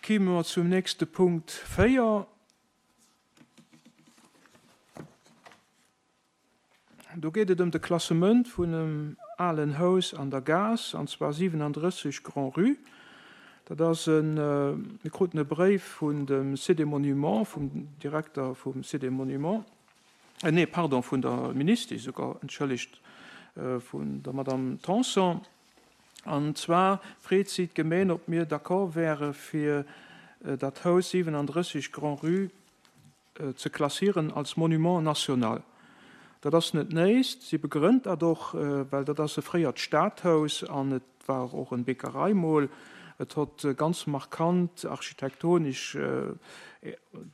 Kime mer zum nächste Punkt 4. Do geet et ëm de Klassement vun em alen Haus an der Gaass, an zwar 37 Grand-Rue. Dat ass en, mir kruten e Bréif vun dem Site des Monuments, vum Direkter vum Site des Monuments, nee, pardon, vun der Ministesch esouguer, entschëllegt, vun der Madame Tanson. An zwar freet si d'Gemeen, ob mir d'accord wäre fir dat Haus 37 Grand-Rue ze klassieren als Monument national. Dat ass net néist. Si begrënnt dat och, well dat ass e fréiert Stadhaus an et war och en Bäckerei mol. Et hott ganz markant architektonesch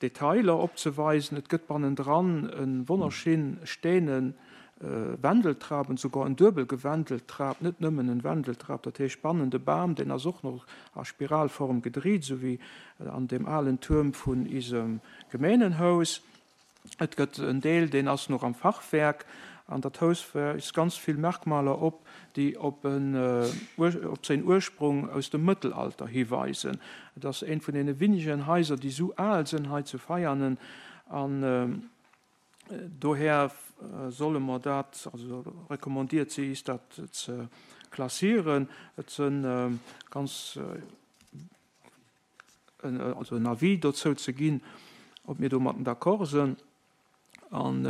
Detailer opzeweisen. Et gëtt bannendran e wonnerschinn steene Wendeltrap, en souguer en duebel Gewendeltrap, net nëmmen en Wendeltrap. Dat heescht bannen de Bam, deen ass och nach a Spiralform gedriit, esou wéi an deem alen Tuerm vun isem Gemeenenhaus. Et gëtt en Deel, deen ass nach am Fachwerk. An dat Haus weist ganz vill Merkmaler op, déi op en, op säin Ursprung aus dem Mëttelalter hiweisen. Et ass eent vun deene winnegen Haiser, déi esou al sënn hei zu Veianen. An dohär solle mer dat, also recommandiert si is, dat ze klassieren. Et sënn ganz. also en Avis dozou ze ginn, ob mir domatten d'accord sënn. An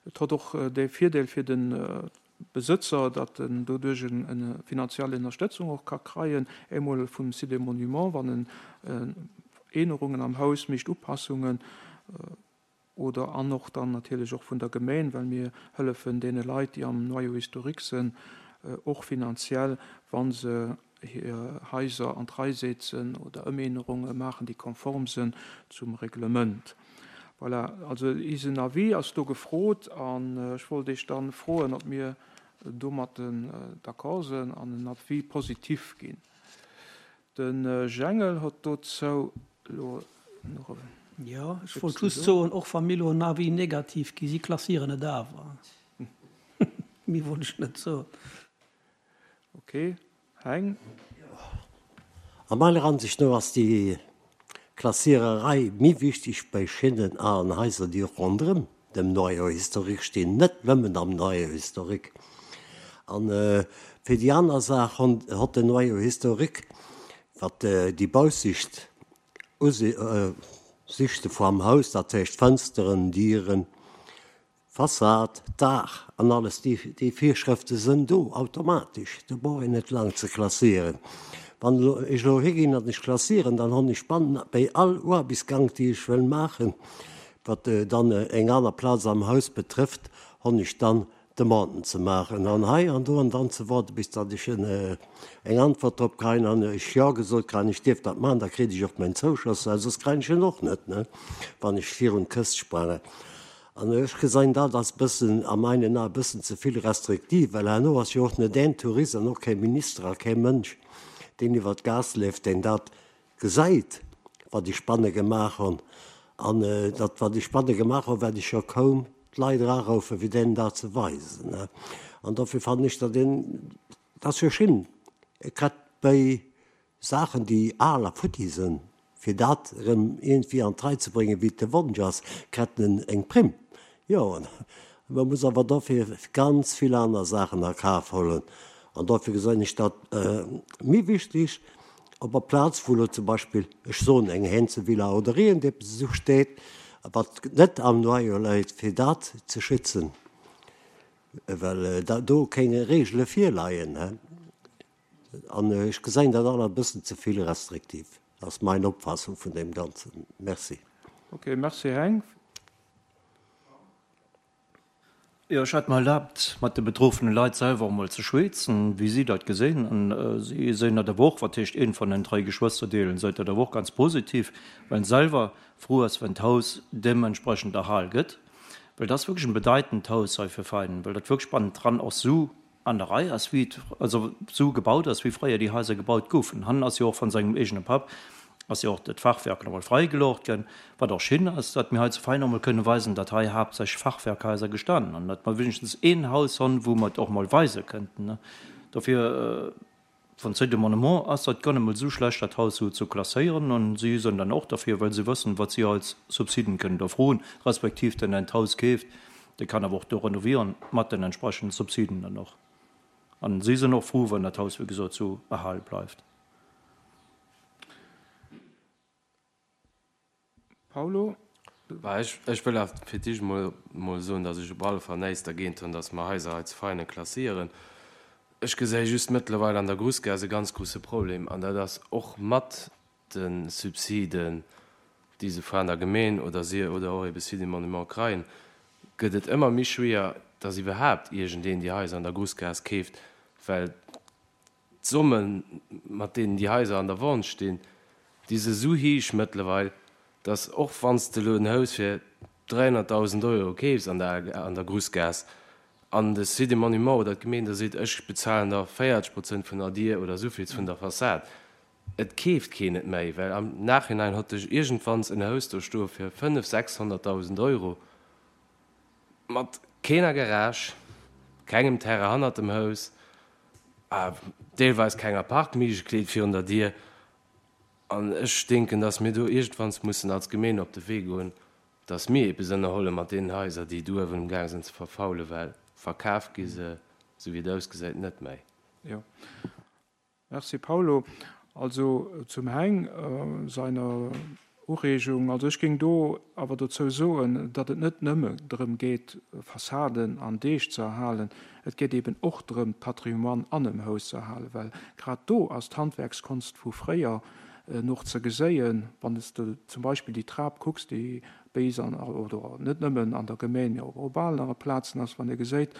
et hott och de Virdeel fir de Besëtzer, datt en doduerch eng finanziell Ënnerstëtzung och ka kreien, emol vum Site des Monuments, wann en Änerungen am Haus mécht, Upassungen, Oder an och dann natierlech och vun der Gemeen, well mir hëllefen deene Leit, déi am Noyau historique sënn, och finanziell, wa se hir Haiser an d'Rei setzen oder Ëmänerunge maachen, déi konform sënn zum Reglement. Voilà, also isen Avis ass do gefrot an ech wollt Iech dann froen, ob mir domatten d'accord sënn an en Avis positif ginn. De Jengel hott dozou elo nach e. Jo, ech wollt just soen, och wa mir elo en Avis négatif ginn, si klassieren et awer. Méi wollt ech net soen. Ok, Heng. A meiner Ansicht no ass déi Klassiererei méi wichteg bei Schinnen a an Haiser, déi ronderëm dem Noyau historique stinn, net nëmmen am Noyau historique. An fir déi aner Saach hott den Noyau historique, wat déi Baussicht Usichte vam Haus, dat heescht Fënsteren, Dieren, Fassad, Daach an alles, déi Virschrëfte sënn do automatesch, do brauch een net laang ze klassieren. Wann elo ech elo higinn an ech klassieren, dann honn ech bann béi all Oarbechtsgank déi ech wëll maachen, wat dann eng aner Plaz am Haus betrëfft, honn ech dann Demanden ze maachen an hei an do an dann ze waarde bis datt ech eng Antwort drop kréien an ech Jo gesot kréien, ech dierf dat maachen, da kritt ech och mäin Zouschoss, well soss kréien ech en och net, wann ech virun d'Këscht sprangen. An ech gesein dat als bëssen, a meinen Ae bëssen ze vill restriktiv, well herno ass jo och net een Tourist an och kee Minister a kee Mënsch, deen iwwer d'Gaass leeft, deen dat gesäit, wat ech banne gemaach hunn. An dat, wat ech banne gemaach hunn, wäert ech jo kaum d'Leit eraroufen, fir deenen dat ze weisen. An dofir fannen ech dat een, dat ass jo schin, grad bei Saachen déi al a futti sënn, fir dat erëm iergendwéi an d'Rei ze bréngen, wéi et de Wonsch ass, kret en eng Primm. Jo, mä muss awer dofir ganz vill aner Saachen a Kaf huelen. An dofir gesinn ech dat méi wichteg, op der Plaz wou elo zum Beispill, ech soen eng Hänzevilla oder iergendeppes esou steet, wat net am Noyau läit, fir dat ze schützen, well do kéng Regele virleien. An ech gesäin dat all e bëssen ze vill restriktiv. Dat ass mein Opfassung vun deem Ganzen. Merci. Ok, merci Heng. Jo, ech hat mer erlaabt, mat de betroffene Leit selwer och mol ze schweetzen, wéi si dat gesinn. An si gesinn dat awer och, wat heescht, een van den drai Geschwësterdeelen seet dat awer och ganz positiv, well en selwer frou ass, wenn d'Haus deementsprechend erhal gëtt. Well dat ass wierklech en bedeitend Haus hei fir Veinen, well dat wierklech bannendran och sou an der Rei ass, wéi et also sou gebaut ass, wéi fréier déi Haiser gebaut goufen. Hannen ass jo och von sengem eegene Papp ass jo och dat Fachwerk nach emol freigeloocht ginn, wat och schin ass, datt mir hei zu Vein och mol kënne weisen, datt hei haaptsächlech Fachwerkhaiser gestanen hunn, datt mer wéinegstens een Haus honn, wou mer et och mol weise kënnten. Dofir. Vun Site des Monuments ass dat guer net mol esou schlecht, dat Haus esou ze klasséieren. An si sinn dann och derfir, well se wëssen, wat si als Subsiden kënnen do froen, respektiv den en d'Haus keeft, dee kann awer och do renovieren mat den entsprechenden Subsiden dann och. An si sinn och frou, wann dat Haus, wéi gesot, esou erhale bleift. Paulo? Bah, ech, ech wëll awer fir d'éischt emol, emol soen, datt ech op alle Fall näischt dergéint hunn, datt mer Haiser hei zu Veinen klassieren. Ech gesäi just mëttlerweil an der Grussgaass e ganz grousse Problem, an dat ass och mat de Subsiden, déi se van der Gemeen oder si oder och ebe Site des Monuments kreien, gëtt et ëmmer méi schwéier, datt iwwerhaapt iergendeen déi Haiser an der Grussgaass keeft, well D'Sommen, mat deenen déi Haiser an der Vente stinn, déi se esou héich mëttlerweil, datt och wann s de elo en Haus fir 300.000 Euro keefs an der an der Grussgaass an de Site des Monuments oder d'Gemeen da seet, ech bezahlen der 40 Prozent vun der Dier oder esouvills vun der Fassad, et keeft keen et méi, well am Nachhinein hott ech iergendwanns en Haus do stoe fir 500.000, 600.000 Euro. Mat keener Garage, kengem Terrain hannert dem Haus, a deelweis kenger Parkméiglechkeet virun der Dier. An ech denken, dass mir do iergendwanns mussen als Gemeen op de Wee goen, dass mir eppes ënnerholle mat deenen Haiser, déi do uewen um Gaang sinn ze verfaulen, well verkaf gi se, esou wéi et ausgesäit, net méi. Jo. Merci Paulo. Also zum Heng seiner Ureegung, also ech géing do awer dozou soen, datt et net nëmme drëm geet Fassaden an Deeg ze erhalen, et geet eben och drëm d'Patrimoine an em Haus ze erhalen, well grad do ass d'Handwerkskonst vu fréier noch ze geséien, wann s de zum Beispill déi Trap kucks, déi béis an, oder net nëmmen an der Gemeng, mee och op anere Plazen ass, wann ee geséit,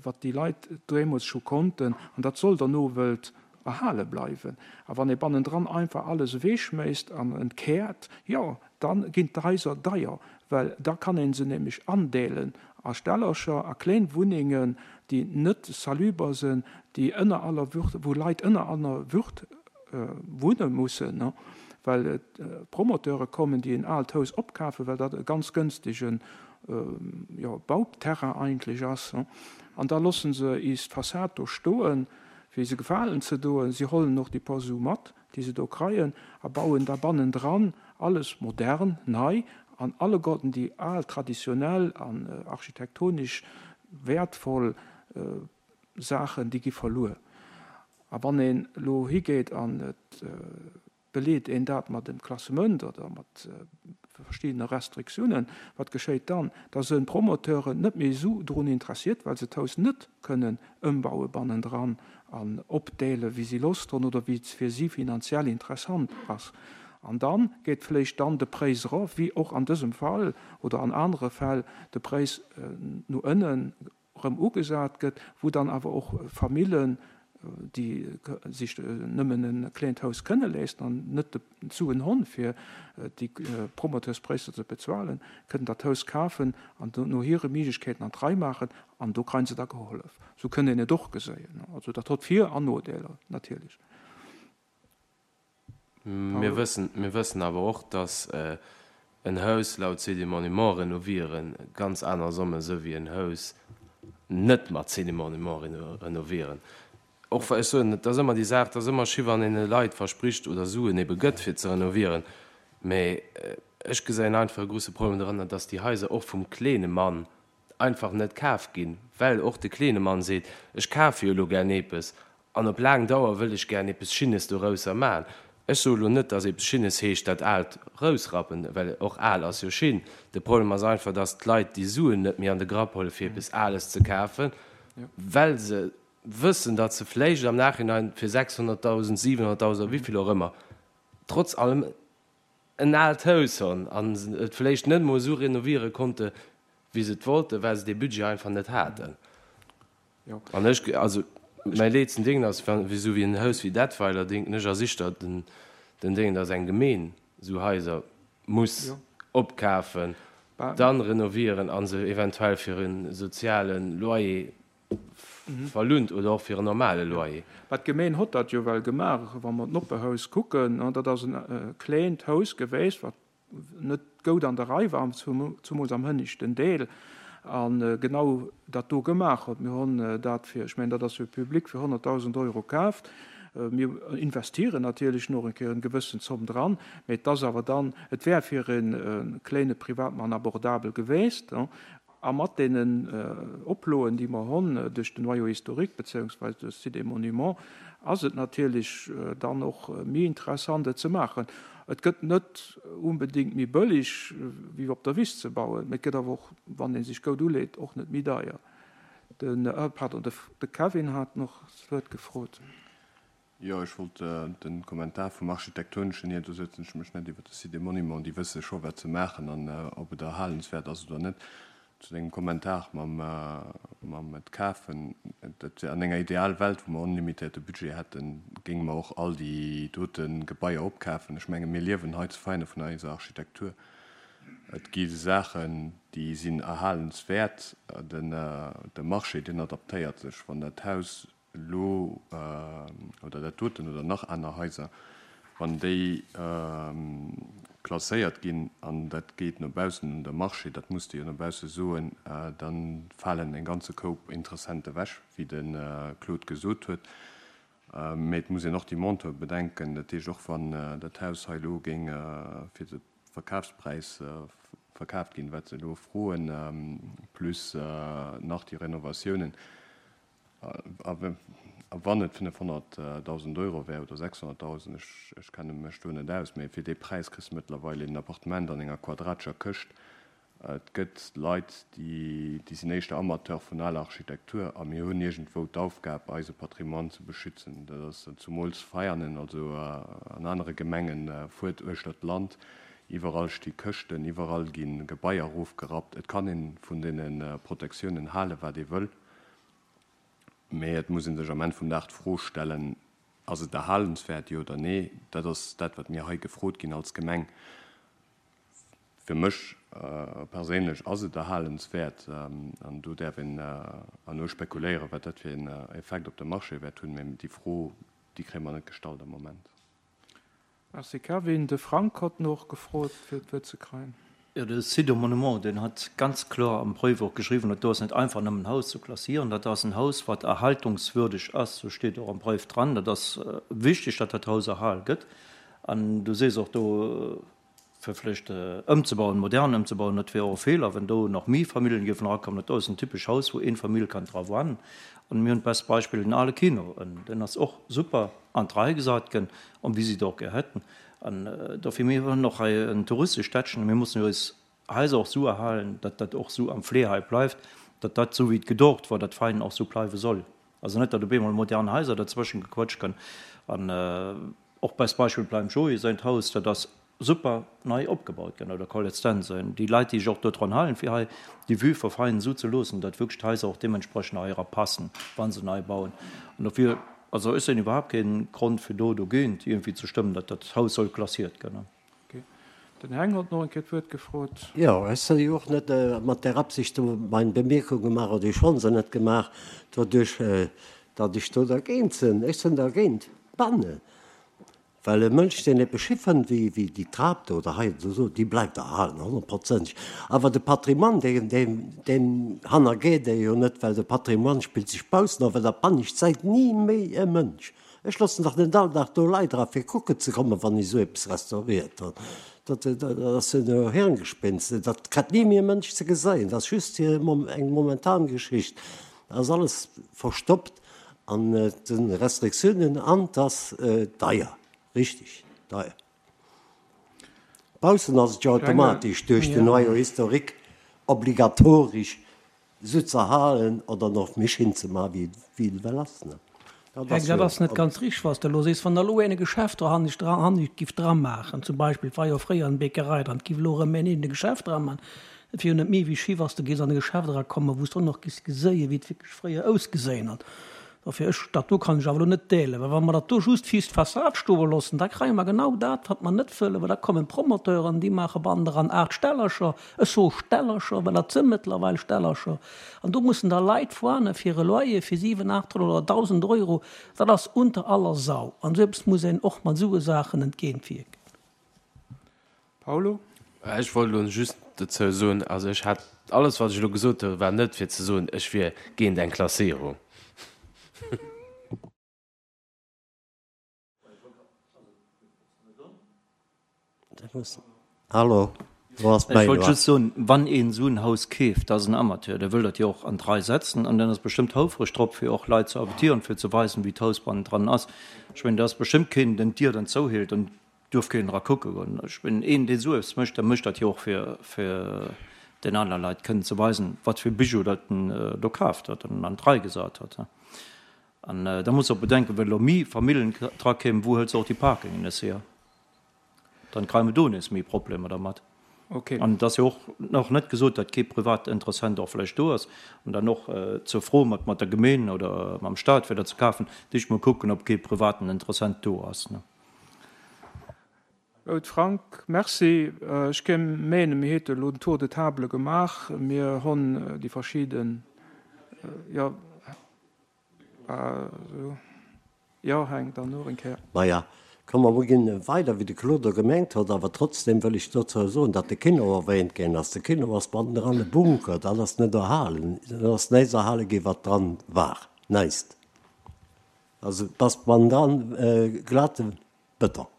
wat déi Leit deemools scho konnten, an dat soll der Nowelt erhale bleiwen. A wann ee bannendran einfach alles ewechschméisst an entkäert, jo, da ginn d'Haiser deier, well da kann ee se nämlech andeelen a Stellercher, a kléin Wunnengen, déi net saluber sinn, déi ënner aller Würd, wou Leit ënner aller Würd wunne mussen, well et Promoteure kommen, déi en aalt Haus opkafen, well dat e ganz gënstege Bauterrain eigentlech ass, an da loosse se is d'Fassad do stoen, fir se gefalen ze doen. Si hollen och déi paar Su mat, déi se do kreien, a bauen da bannendran alles modern, nei, an alleguerten déi al traditionell an architektonisch wäertvoll Saachen, déi gi verluer. A wann een elo higeet an et beleet een dat mat dem Klassement oder mat verschiddene Restriktiounen, wat geschéit dann? Da sënn d'Promoteuren net méi esou drun interessiert, well se d'Haus net kënnen ëmbaue bannendran an opdeele wéi si Loscht hunn oder wéi et fir si finanziell interessant ass. An da geet vléicht dann de Präis erof, wéi och an dësem Fall oder an anere Fäll de Präis no ënnen erëm ugesat gëtt, wou dann awer och Famillen, déi sech nëmmen e kleent Haus kënne léisten an net d'Suen honn, fir déi Promoteurspraiser ze bezuelen, kënnen dat Haus kafen an no hire Méiglechkeeten an d'Rei maachen an do kreien se da gehollef. Esou kënnt een et och geséien. Also dat hott Vir an Nodeeler natierlech. Mir wëssen, mir wëssen awer och, dass en Haus laut Cité Monument renovieren ganz aner Somme sou wéi en Haus net mat Cité Monument renovieren. Och wa ech soen, et ass ëmmer déi Saach, et ass ëmmer schi wann een de Leit verspricht oder Suen ebe gëtt fir ze renovieren, mä ech gesäin einfach e grouse Problem doranner, dass déi Haiser och vum kleene Mann einfach net kaf ginn, well och de kleene Mann seet, ech kafe jo elo gär eepes An op laang Dauer wëll ech gären eppes Schinnes dorausser man. Ech soe lo net, dass eppes Schinnes heescht dat Aalt rousrappen, well och al ass jo schin. De Problem ass einfach, dass d'Leit déi Suen net méi an de Grapp huelen, fir eppes Ales ze kafen, well se wëssen, datt se vläicht am Nachhinein fir 600.000, 700.000 oder wéivill och ëmmer trotz allem en aalt Haus honn an et vläicht net emol esou renoviere konnte wéi se et wollten, well se dee Budget einfach net haten. An ech, also mäi leetsten Déngen ass, wa esou wéi en Haus wéi Detweiler, denken ech, ass ischter den den Déngen, datt eng Gemeen esou Haiser muss opkafen, dann renovieren a se eventuell fir e soziale Loyer verlount oder och fir en normale Loyer. Mä d'Gemeen hott dat jo well gemaach. Wa mer d'Noppehaus kucken, dat ass en kleent Haus geweest, wat net goud an der Rei war, zumools am hënneschten Deel, a genau dat do gemaach huet. Mir hunn dat fir, ech mengen, dat ass jo public, fir 100.000 Euro kaaft. Mir investieren natierlech nach eng Kéier eng gewëssen Zomm dran, mä et ass awer dann, et wär fir e kléine Privatmann abordabel geweest. A mat deenen Oploen, déi mer honn duerch den Noyau historique beziéungsweis duerch d'Site des Monuments, ass et natierlech dann och méi interessant, et ze maachen. Et gëtt net unbedéngt méi bëllig, wéi op der Wiss ze bauen, mä et gëtt awer och, wann ee sech goud uleet, och net méi deier. Den, pardon, de Kevin hat noch d'Wuert gefrot. Jo, ech wollt de Kommentar vum Architektoneschen hier, do sëtzen ech mech net iwwer de Site des Monuments, déi wësse scho wat se maachen an ob et erhalenswäert ass oder net. Zu dengem Kommentar mam, mam et kafen, dat wär an enger ideal Welt, wou mer onlimitéierte Budget hätten, géinge mer och all déi dote Gebaier opkafen. Ech menge mir liewen hei zu Veinen vun eiser Architektur. Et gi Saachen, déi sinn erhalenswäert. De Marché, deen adaptéiert sech. Wann dat Haus elo, oder dat doten oder nach aner Haiser, wann déi klasséiert ginn an dat geet no baussen un de Marché, dat muss de jo no bausse soen, da falen e ganze Koup Interessente ewech, wéi de Claude gesot huet. Mee et muss een och déi Monteure bedenken. Dat heescht, och wann dat Haus hei elo géing fir de Verkafspräis verkaaft ginn, wat se elo froen, plus nach déi Renovatiounen, A wann et 500.000 Euro wär oder 600.000, ech kenne mech do net aus, mee fir dee Präis kriss de mëttlerweil een Appartement an enger quadratescher Këscht. Et gëtt Leit, déi sinn éischter Amateur vun aler Architektur a mir hunn iergendwou d'Aufgab, eise Patrimoine ze beschützen. Dat ass zumools Veianen, also an anere Gemengen, fuert uechter d'Land, iwwerall sti Këschten, iwwerall gi Gebaier erofgerappt. Et kann ee vun deene Protektiounen halen, wat ee wëll. Mee et muss ee sech am Enn vum Dag d'Fro stellen, Ass et erhalenswäert, jo oder nee? Dat ass dat, wat mir hei gefrot ginn als Gemeng. Fir mech perséinlech ass et erhalenswäert. An do däerf een erno spekuléieren, wat dat fir een Effekt op de Marché wäert hunn. Mee déi Fro, déi kréie mer net gestallt am Moment. Merci Kevin. De Frank hott noch gefrot fir d'Wuert ze kreien. Jo, de Site aux Monuments, deen hat ganz kloer am Bréif och geschriwwen, dat do ass net einfach nëmmen en Haus ze klassieren, dat ass en Haus, wat erhaltungswürdeg ass, sou steet och am Bréif dran. Dat ass wichteg, datt dat Haus erhal gëtt. An du sees och do, fir vläicht ëmzebauen, modern ëmzebauen, dat wier och e Feeler, wenn do nach méi Familljen géifen erakommen. Dat do ass en typesch Haus, wou een Famill kann dra wuannen. An mir hunn d'best Beispill, den ale Kino, deen ass och super an d'Rei gesat gënn, an wéi si et och gär hätten. An dofir, mir hunn och hei en touristesch Städtchen, mir mussen jo eis Haiser och esou erhalen, datt dat och esou am Fleer hei bleift, datt dat esou wéi et gedoocht war, dat Veinen och esou bleiwe soll. Also net, datt op eemol modern Haiser derzwëschen gequëtscht gënn. An och best Beispill beim Joé säint Haus, dat ass super nei opgebaut gënn, oder Colette Stenson, déi Leit, déi sech och dodran halen, fir hei déi Vue verfeinen esou ze loossen, datt wierklech d'Haiser och deementsprechend hei era passen, wa se nei bauen. An dofir, also ech sinn iwwerhaapt kee Grond fir do dogéint iergendwéi ze stëmmen, datt dat Haus soll klassiert gënn. Den Heng hott noch eng Kéier d'Wuert gefrot. Jo, ech sinn jo och net mat där Absicht do meng Bemierkung gemaach, oder ech hunn se net gemaach, doduerch datt ech do dergéint sinn. Ech sinn dergéint d'Bannen, well e Mënsch, deen eppes schi fënnt wéi wéi déi Trap do oder hei oder esou, déi bleift erhalen, honnertprozenteg. Awer de Patrimoine, deen, deen, deen hannergeet ee jo net, well de Patrimoine spillt sech baussen of, well der Pannescht säit ni méi e Mënsch. Ech loossen dach net all Dag do Leit era fir kucken ze kommen, wann ech esou eppes restauriert hunn. Dat ass jo no Hirngespinst. Dat kritt ni méi e Mënsch ze geseien. Dat ass just fir eng momentan Geschicht. Dat ass alles verstoppt an de Restriktiounen an 't ass deier, richteg deier. Baussen ass et jo automatesch duerch den Noyau historique obligatoresch Sou ze halen oder nach méi schéin ze man wéi et ewell ass ne. Dat ass dat ass net ganz richteg was de elo sees. Wann der elo een e Geschäft dohannescht dra hannescht giff dra maachen, zum Beispill, et war jo fréier eng Bäckerei dran, et giff elo erëm een een e Geschäft dra man, et wier jo net méi wéi schi wann s de géifs an e Geschäft erakommen, wou s de och nach giffs geséien, wéi et wierklech fréier ausgeséien hat. Dofir, ech, dat do kann ech awer elo net deelen, well wa mer dat do just fir d'Fassad stoe loossen, da kréie mer genau dat, wat mer net wëllen, well da kommen d'Promoteuren, déi maache bannendran 8 Stellercher, ech soe Stellercher, well dat si mëttlerweil Stellercher, an do mussen da Leit foine fir e Loyer fir 7, 800 oder 1.000 Euro, dat ass unter aller Sau. An esou eppes muss een och mat esou Saachen entgéintwierken. Paulo? Ech wollt elo just dozou soen, also ech hat, alles wat ech elo gesot hu war net fir ze soen, ech wier géint eng Klasséierung. Hallo, do ass Ech wollt just soen, wann een esou en Haus keeft, dat ass en Amateur, dee wëll dat jo och an d'Rei setzen an deen ass bestëmmt houfreg drop, fir och Leit ze invitieren, fir ze weisen, wéi d'Haus bannendran ass. Ech mengen, do ass bestëmmt keen, deen d'Dier dann zouheelt an duerf keen era kucke goen. Ech mengen, een, deen esou eppes mécht, dee mécht dat jo och, fir, fir den anere Leit kënnen ze weisen, wat fir Bijou dat en do kaaft huet an an d'Rei gesat huet. An da muss de och bedenken, well elo méi Famillen dra kéimen, wou hëls de och déi Parkingen nees hier? Dann kréie mer do nees méi Problemer dermat. Okay. An et ass jo och nach net gesot, datt kee privat Interessent och vläicht do ass. An dann och zur Fro mat mat der Gemeen oder mam Stat, fir dat ze kafen, d'éischt mol kucken, ob kee privaten Interessent do ass. Goud Frank, merci. Ech géing menen, mir hate elo den Tour de table gemaach. Mir honn déi verschidden, jo. Jo, Heng, dann nach eng Kéier. Maja, komm mer ginn weider, wéi de Claude do gemengt huet. Awer trotzdem wëll ech dozou soen, datt de Kino erwähnt ginn ass. De Kino ass bannendran e Bunker, dat ass net erhalen. Et ass näischt erhale ginn, wat dran war. Näischt. Also et ass bannendran glate Beton.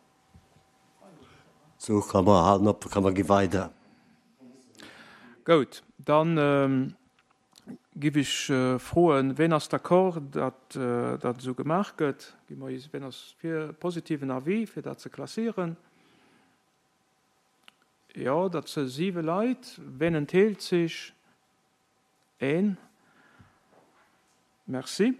Sou, komm mer halen op, komm mer gi weider. Goud, dann Giff ech froen, ween ass d'accord, datt dat esou gemaach gëtt? Gi mer is, ween ass fir positiven Avis, fir dat ze klassieren? Jo, dat se siwe Leit. Ween entheelt sech? Een. Merci.